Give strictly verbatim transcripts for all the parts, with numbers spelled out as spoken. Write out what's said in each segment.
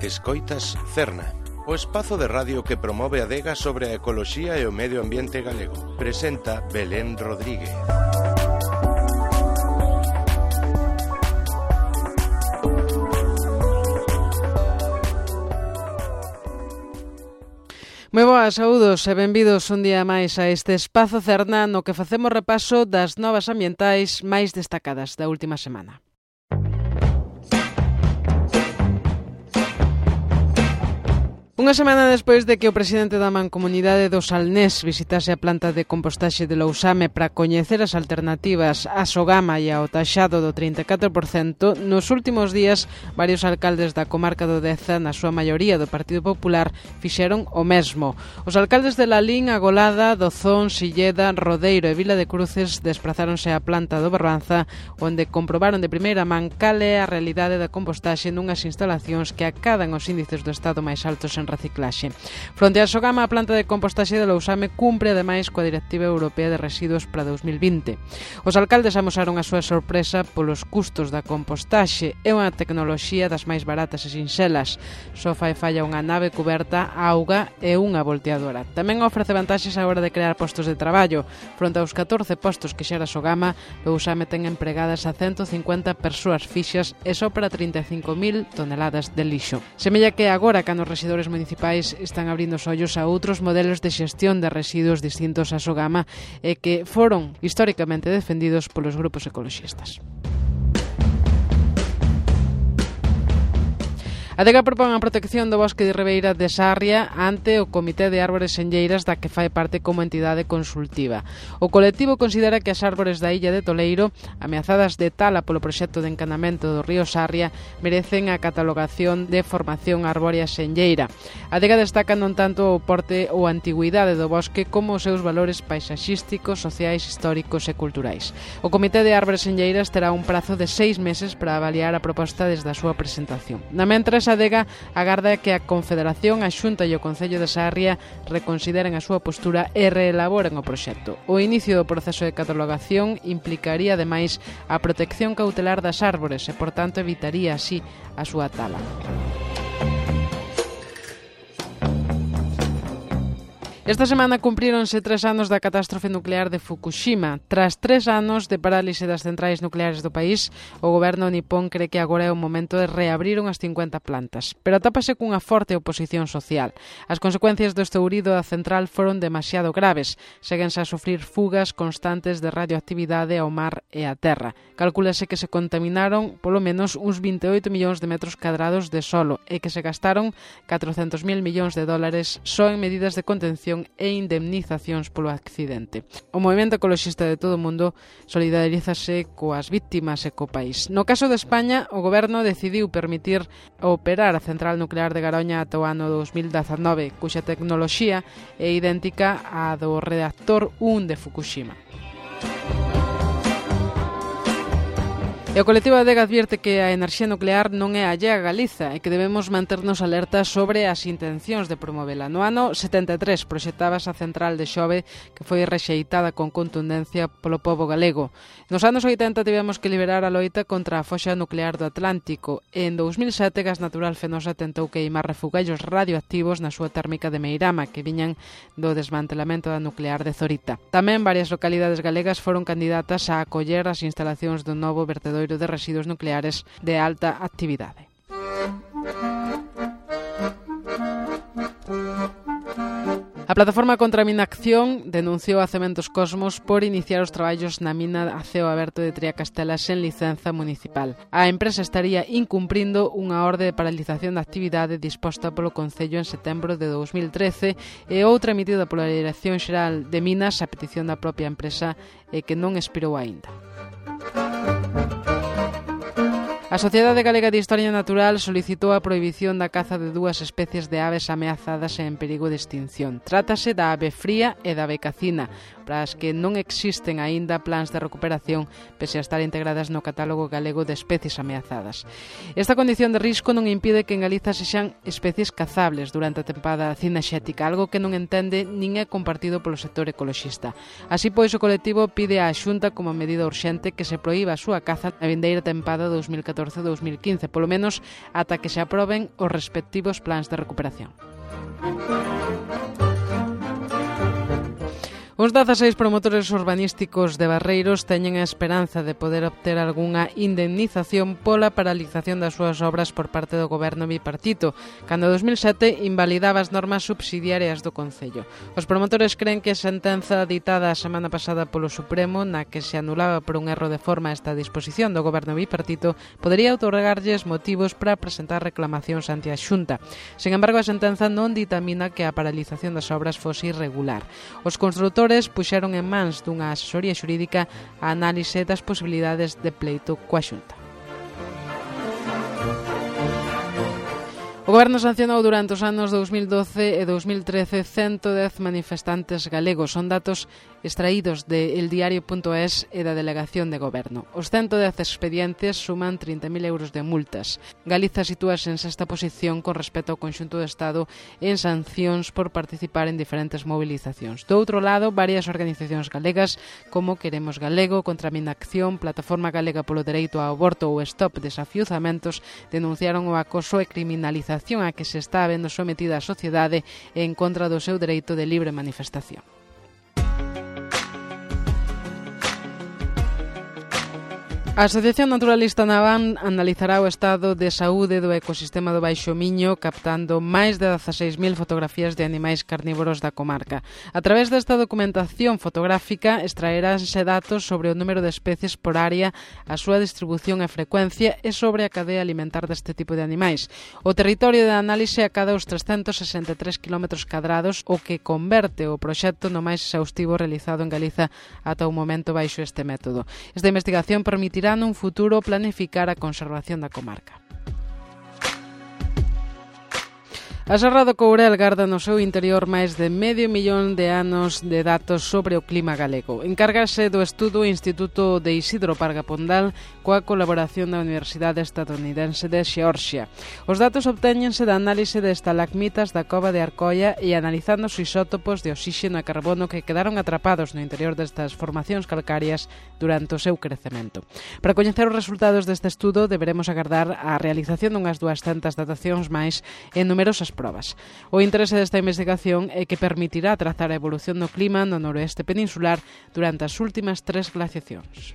Escoitas Cerna, o espazo de radio que promove a adega sobre a ecoloxía e o medio ambiente galego. Presenta Belén Rodríguez. Moi boas, saúdos e benvidos un día máis a este espazo Cerna no que facemos repaso das novas ambientais máis destacadas da última semana. Unha semana despois de que o presidente da Mancomunidade do Salnés visitase a planta de compostaxe de Lousame para coñecer as alternativas á sogama e ao taxado do trinta e catro por cento, nos últimos días varios alcaldes da comarca do Deza, na súa maioría do Partido Popular, fixeron o mesmo. Os alcaldes de Lalín, Agolada, Dozón, Silleda, Rodeiro e Vila de Cruces desprazáronse á planta do Barbanza, onde comprobaron de primeira man cal é a realidade da compostaxe nunhas instalacións que acadan os índices do Estado máis altos en reciclaxe. Fronte á sogama, a planta de compostaxe de Lousame cumpre ademais coa Directiva Europea de Residuos para dous mil vinte. Os alcaldes amosaron a súa sorpresa polos custos da compostaxe. É unha tecnoloxía das máis baratas e sinxelas. Só fai falla unha nave cuberta, auga e unha volteadora. Tamén ofrece vantaxes á hora de crear postos de traballo. Fronte aos catorce postos que xera a sogama, Lousame ten empregadas a ciento cincuenta persoas fixas e só para trinta e cinco mil toneladas de lixo. Semella que agora, cando os residuos municipais están abrindo os ollos a outros modelos de xestión de residuos distintos á sogama e que foron históricamente defendidos polos grupos ecoloxistas. A Adega propón a protección do bosque de Ribeira de Sarria ante o Comité de Árbores Senlleiras da que fai parte como entidade consultiva. O colectivo considera que as árbores da illa de Toleiro, ameazadas de tala polo proxecto de encanamento do río Sarria, merecen a catalogación de formación arbórea senlleira. A Adega destaca non tanto o porte ou a antigüidade do bosque como os seus valores paisaxísticos, sociais, históricos e culturais. O Comité de Árbores Senlleiras terá un prazo de seis meses para avaliar a proposta desde a súa presentación. Na mentres, a Adega agarda que a Confederación, a Xunta e o Concello de Sarria reconsideren a súa postura e reelaboren o proxecto. O inicio do proceso de catalogación implicaría, ademais, a protección cautelar das árbores e, por tanto, evitaría así a súa tala. Esta semana cumpríronse tres anos da catástrofe nuclear de Fukushima. Tras tres anos de parálise das centrais nucleares do país, o goberno nipón cree que agora é o momento de reabrir unhas cincuenta plantas, pero atápase cunha forte oposición social. As consecuencias do estourido da central foron demasiado graves. Séguense a sufrir fugas constantes de radioactividade ao mar e á terra. Calcúlase que se contaminaron polo menos uns vinte e oito millóns de metros cadrados de solo e que se gastaron catrocentos mil millóns de dólares só en medidas de contención e indemnizacións polo accidente. O movemento ecoloxista de todo o mundo solidarízase coas vítimas e co país. No caso de España, o goberno decidiu permitir operar a central nuclear de Garoña ata o ano dos mil dezanove, cuxa tecnoloxía é idéntica á do reactor un de Fukushima. E o colectivo Adega advierte que a enerxía nuclear non é allea a Galiza e que debemos manternos alertas sobre as intencións de promovela. No ano setenta e tres proxectábase a central de Xove, que foi rexeitada con contundencia polo pobo galego. Nos anos oitenta tivemos que liberar a loita contra a foxa nuclear do Atlántico e en dous mil sete Gas Natural Fenosa tentou queimar refugallos radioactivos na súa térmica de Meirama, que viñan do desmantelamento da nuclear de Zorita. Tamén varias localidades galegas foron candidatas a acoller as instalacións do novo vertedoiro de residuos nucleares de alta actividade. A plataforma contra a Minacción denunciou a Cementos Cosmos por iniciar os traballos na mina a ceo aberto de Triacastela sen licenza municipal. A empresa estaría incumprindo unha orde de paralización da actividade disposta polo Concello en setembro de dous mil trece e outra emitida pola Dirección Xeral de Minas a petición da propia empresa e que non expirou aínda. A Sociedade Galega de Historia Natural solicitou a prohibición da caza de dúas especies de aves ameazadas e en perigo de extinción. Trátase da ave fría e da ave cacina, para as que non existen aínda plans de recuperación pese a estar integradas no catálogo galego de especies ameazadas. Esta condición de risco non impide que en Galiza sexan especies cazables durante a tempada cinexética, algo que non entende nin é compartido polo sector ecoloxista. Así pois, o colectivo pide á Xunta como medida urxente que se proíba a súa caza na vindeira tempada dos mil catorce catorce a dos mil quince, polo menos ata que se aproben os respectivos plans de recuperación. Os dezaseis promotores urbanísticos de Barreiros teñen a esperanza de poder obter algunha indemnización pola paralización das súas obras por parte do goberno bipartito, cando en dos mil sete invalidaba as normas subsidiarias do Concello. Os promotores creen que a sentenza ditada a semana pasada polo Supremo, na que se anulaba por un erro de forma esta disposición do goberno bipartito, podería outorgarlles motivos para presentar reclamacións ante a Xunta. Sen embargo, a sentenza non ditamina que a paralización das obras fose irregular. Os construtores puxeron en mans dunha asesoría xurídica a análise das posibilidades de pleito coa Xunta. O Goberno sancionou durante os anos dous mil doce e dous mil trece ciento dez manifestantes galegos. Son datos extraídos de eldiario punto es e da Delegación de Goberno. Os ciento dez expedientes suman trinta mil euros de multas. Galiza sitúase en sexta posición con respecto ao conxunto do Estado en sancións por participar en diferentes movilizacións. Do outro lado, varias organizacións galegas como Queremos Galego, Contra a Inacción, Plataforma Galega polo Dereito ao Aborto ou Stop Desafiuzamentos denunciaron o acoso e criminalización a que se está vendo sometida a sociedade en contra do seu dereito de libre manifestación. A Asociación Naturalista Naván analizará o estado de saúde do ecosistema do Baixo Miño captando máis de dezaseis mil fotografías de animais carnívoros da comarca. A través desta documentación fotográfica extraeránse datos sobre o número de especies por área, a súa distribución e frecuencia e sobre a cadea alimentar deste tipo de animais. O territorio de análise acada os trescentos sesenta e tres quilómetros cadrados, o que converte o proxecto no máis exhaustivo realizado en Galiza ata o momento baixo este método. Esta investigación permitirá nun futuro planificar a conservación da comarca. A Serra do Courel garda no seu interior máis de medio millón de anos de datos sobre o clima galego. Encárgase do estudo o Instituto de Isidro Parga Pondal coa colaboración da Universidade Estadounidense de Xeorxia. Os datos obtéñense da análise de estalagmitas da cova de Arcoia e analizando os isótopos de oxígeno e carbono que quedaron atrapados no interior destas formacións calcarias durante o seu crecemento. Para coñecer os resultados deste estudo deberemos agardar a realización dunhas duascentas datacións máis en numerosas probas. O interese desta investigación é que permitirá trazar a evolución do clima no noroeste peninsular durante as últimas tres glaciacións.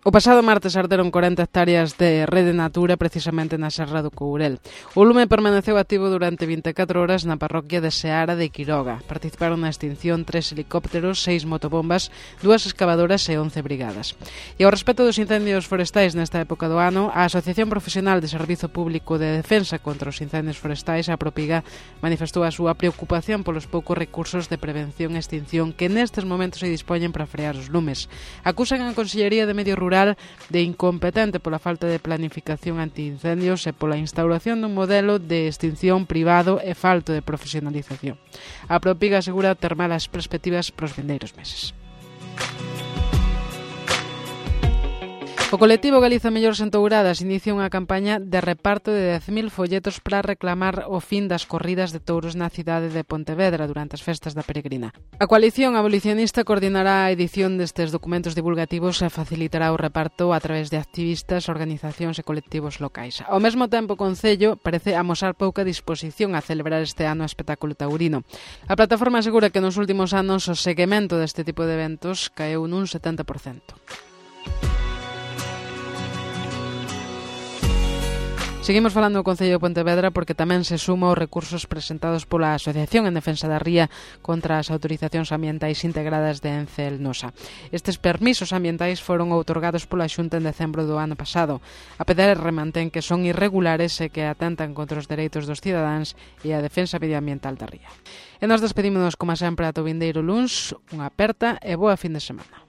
O pasado martes arderon corenta hectáreas de Rede Natura precisamente na Serra do Courel. O lume permaneceu activo durante vinte e catro horas na parroquia de Seara de Quiroga. Participaron na extinción tres helicópteros, seis motobombas, dúas excavadoras e once brigadas. E ao respecto dos incendios forestais nesta época do ano, a Asociación Profesional de Servizo Público de Defensa contra os Incendios Forestais, a Propiga, manifestou a súa preocupación polos poucos recursos de prevención e extinción que nestes momentos se dispoñen para frear os lumes. Acusan a Consellería de Medio Rural de incompetente pola falta de planificación antiincendios e pola instauración dun modelo de extinción privado e falto de profesionalización. A Propiga asegura ter malas perspectivas para os vindeiros meses. O colectivo Galiza Mellores Entouradas inicia unha campaña de reparto de dez mil folletos para reclamar o fin das corridas de touros na cidade de Pontevedra durante as festas da Peregrina. A coalición abolicionista coordinará a edición destes documentos divulgativos e facilitará o reparto a través de activistas, organizacións e colectivos locais. Ao mesmo tempo, o Concello parece amosar pouca disposición a celebrar este ano o espectáculo taurino. A plataforma asegura que nos últimos anos o seguimento deste tipo de eventos caeu nun setenta por cento. Seguimos falando do Concello de Pontevedra porque tamén se suma aos recursos presentados pola Asociación en Defensa da Ría contra as autorizacións ambientais integradas de Ence Elnosa. Estes permisos ambientais foron outorgados pola Xunta en decembro do ano pasado. A P D R mantén que son irregulares e que atentan contra os dereitos dos cidadáns e a defensa medioambiental da Ría. E nos despedímonos, como sempre, ata o vindeiro luns. Unha aperta e boa fin de semana.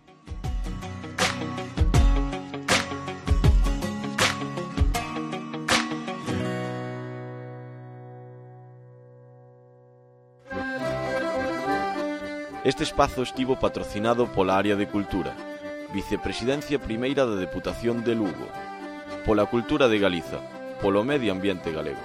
Este espazo estivo patrocinado pola Área de Cultura, Vicepresidencia Primeira da Deputación de Lugo, pola Cultura de Galiza, polo Medio Ambiente Galego.